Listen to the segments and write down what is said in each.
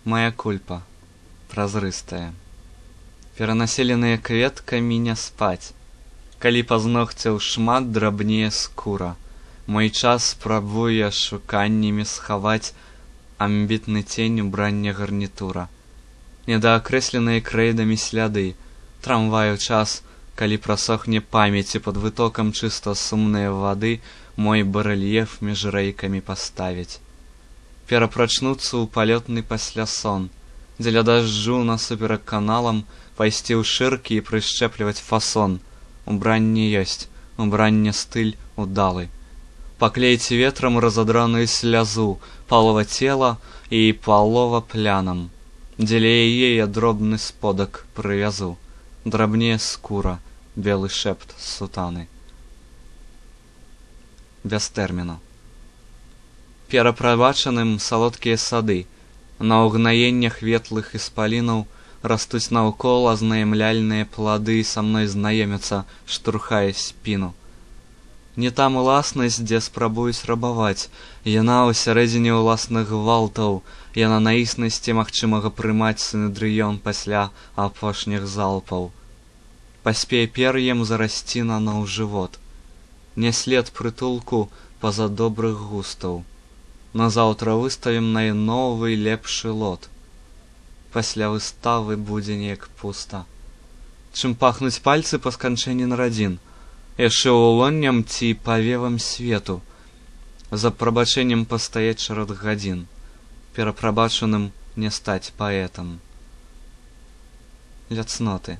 Моя кульпа, празрыстая, перанаселеныя кветкамі не спаць. Калі пазногцяў шмат, драбнее скура. Мой час спрабуе шуканнямі схаваць амбітны цень убрання гарнітура. Недаакрэсленыя крэйдамі сляды, трамваю час, калі прасохне памяці пад вытокам чыста сумныя вады, мой барэльеф між рэйкамі паставіць. Перапрачнуцца ў палётны пасля сон, дзеля дажджу насуперак каналам пайсці ў шыркі і прышчэпліваць фасон. Убранне ёсць, убранне стыль удалы. Паклейце ветрам разадраную слязу, палова цела і палова плянам. Дзеля яе я дробны сподак прывязу. Драбнее скура, белы шэпт сутаны. Без тэрміну. Перапрабачаным салодкія сады, на ўгнаеннях ветлых іспалінаў растуць наўкол азнаямляльныя плады, са мной знаёмяцца, штурхае спіну. Не там уласнасць, дзе спрабуюць рабаваць, яна ў сярэдзіне ўласных гвалтаў, яна на існасці магчымага прымаць синедрыён пасля апошніх залпаў. Паспее пер'ем зарасці наноў жывот, не след прытулку па-за добрых густаў. Назаўтра выставім найновы лепшы лот. Пасля выставы будзе неяк пуста. Чым пахнуць пальцы па сканчэнні нарадзін, яшчэ улонням ці павевам свету, за прабачэннем пастаяць шэраг гадзін, перапрабачаным не стаць паэтам. Ля цноты.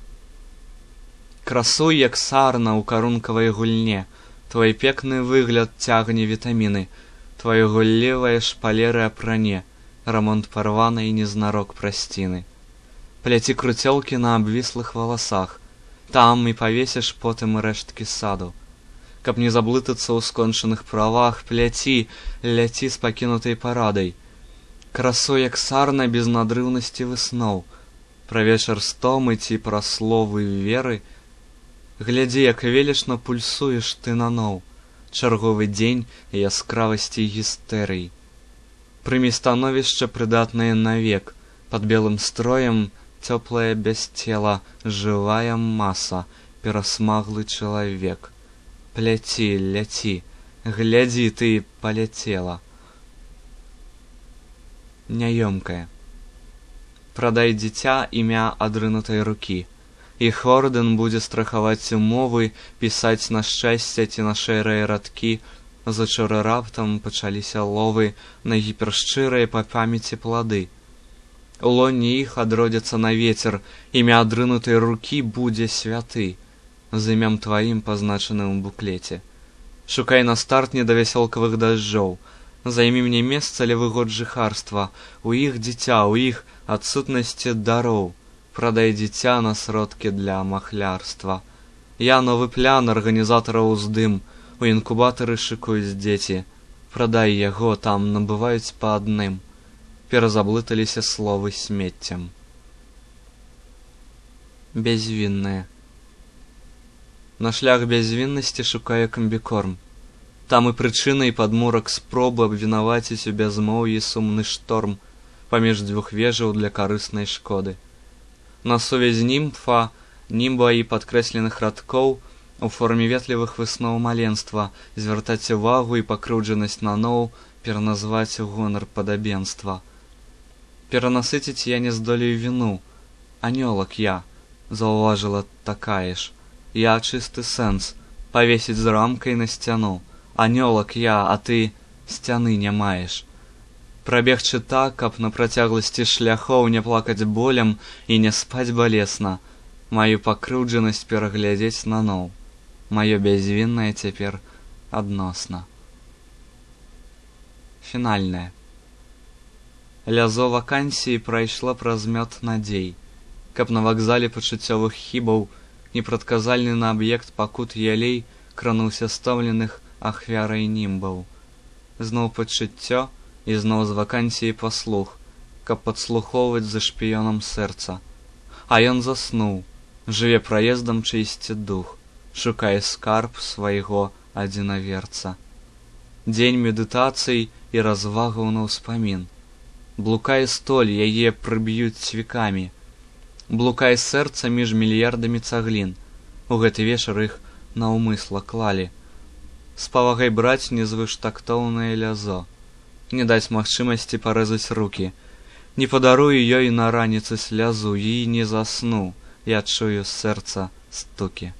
Красуй, як сарна ў карункавай гульне, твой пекны выгляд цягне вітаміны, твоё гуллівае шпалеры апране, рамонт парванай незнарок прасціны. Пляці круцёлкі на абвіслых валасах, там і павесіш потым рэшткі саду. Каб не заблытацца ў скончаных правах, пляці, ляці з пакінутай парадай. Красой, як сарна без надрыўнасці высноў, пра вечар стомы ці пра словы веры. Глядзі, як велічна пульсуеш ты наноў, чарговы дзень яскравасці гістэрый. Прымі становішча прыдатнае навек, пад белым строем цёплае без цела, жывая маса, перасмаглы чалавек. Пляці, ляці, глядзі, ты паляцела. Няёмкае. Прадай дзіця імя адрынутай рукі, іх ордэн будзе страхаваць умовы, пісаць на шчасце ці на шэрыя радкі. Зачора раптам пачаліся ловы на гіпершчырыя па памяці плады. У лоне іх адродзяцца на вецер, імя адрынутай рукі будзе святы, з імям тваім пазначаным у буклеце. Шукай на старт недавясёлкавых дажджоў, займі мне месца ля выгод жыхарства, у іх дзіця, у іх адсутнасці дароў, прадай дзіця на сродкі для махлярства. Я новы плян арганізатара ўздым, у інкубатары шыкуюць дзеці, прадай яго, там набываюць па адным. Перазаблыталіся словы смеццем. Бязвіннае. На шлях бязвіннасці шукае камбікорм. Там і прычына, і падмурак спробы абвінаваціць у бязмоўі сумны шторм паміж дзвюх вежаў для карыснай шкоды. На сувязь німфа, німба і падкрэсленых радкоў у форме ветлівых высноў маленства звяртаць увагу і пакрыўджанасць наноў пераназваць у гонар падабенства. Перанасыціць я не здолею віну. Анёлак я, заўважыла такая ж. Я чысты сэнс, павесіць з рамкай на сцяну. Анёлак я, а ты сцяны не маеш. Прабегчы так, каб на працягласці шляхоў не плакаць болем і не спаць балесна. Маю пакрыўджанасць пераглядзець наноў. Маё бязвіннае цяпер адносна. Фінальнае. Лязо вакансіі прайшла праз мёд надзей, каб на вакзале пачуццёвых хібаў непрадказальны на аб'ект пакут ялей крануўся стомленых ахвярай німбаў. Зноў пачуццё і зноў з вакансіі паслух, каб падслухоўваць за шпіёнам сэрца. А ён заснуў, жыве праездам чыйсьці дух, шукае скарб свайго адзінаверца. Дзень медытацый і развагаў на ўспамін. Блукай столь, яе прыб'юць цвікамі. Блукай сэрца між мільярдамі цаглін. У гэты вечар іх наўмысла клалі. З павагай браць незвыштактоўнае лязо. Не даць магчымасці парэзаць рукі. Не падарую ёй на раніцы слязу, і не засну, я чую з сэрца стукі.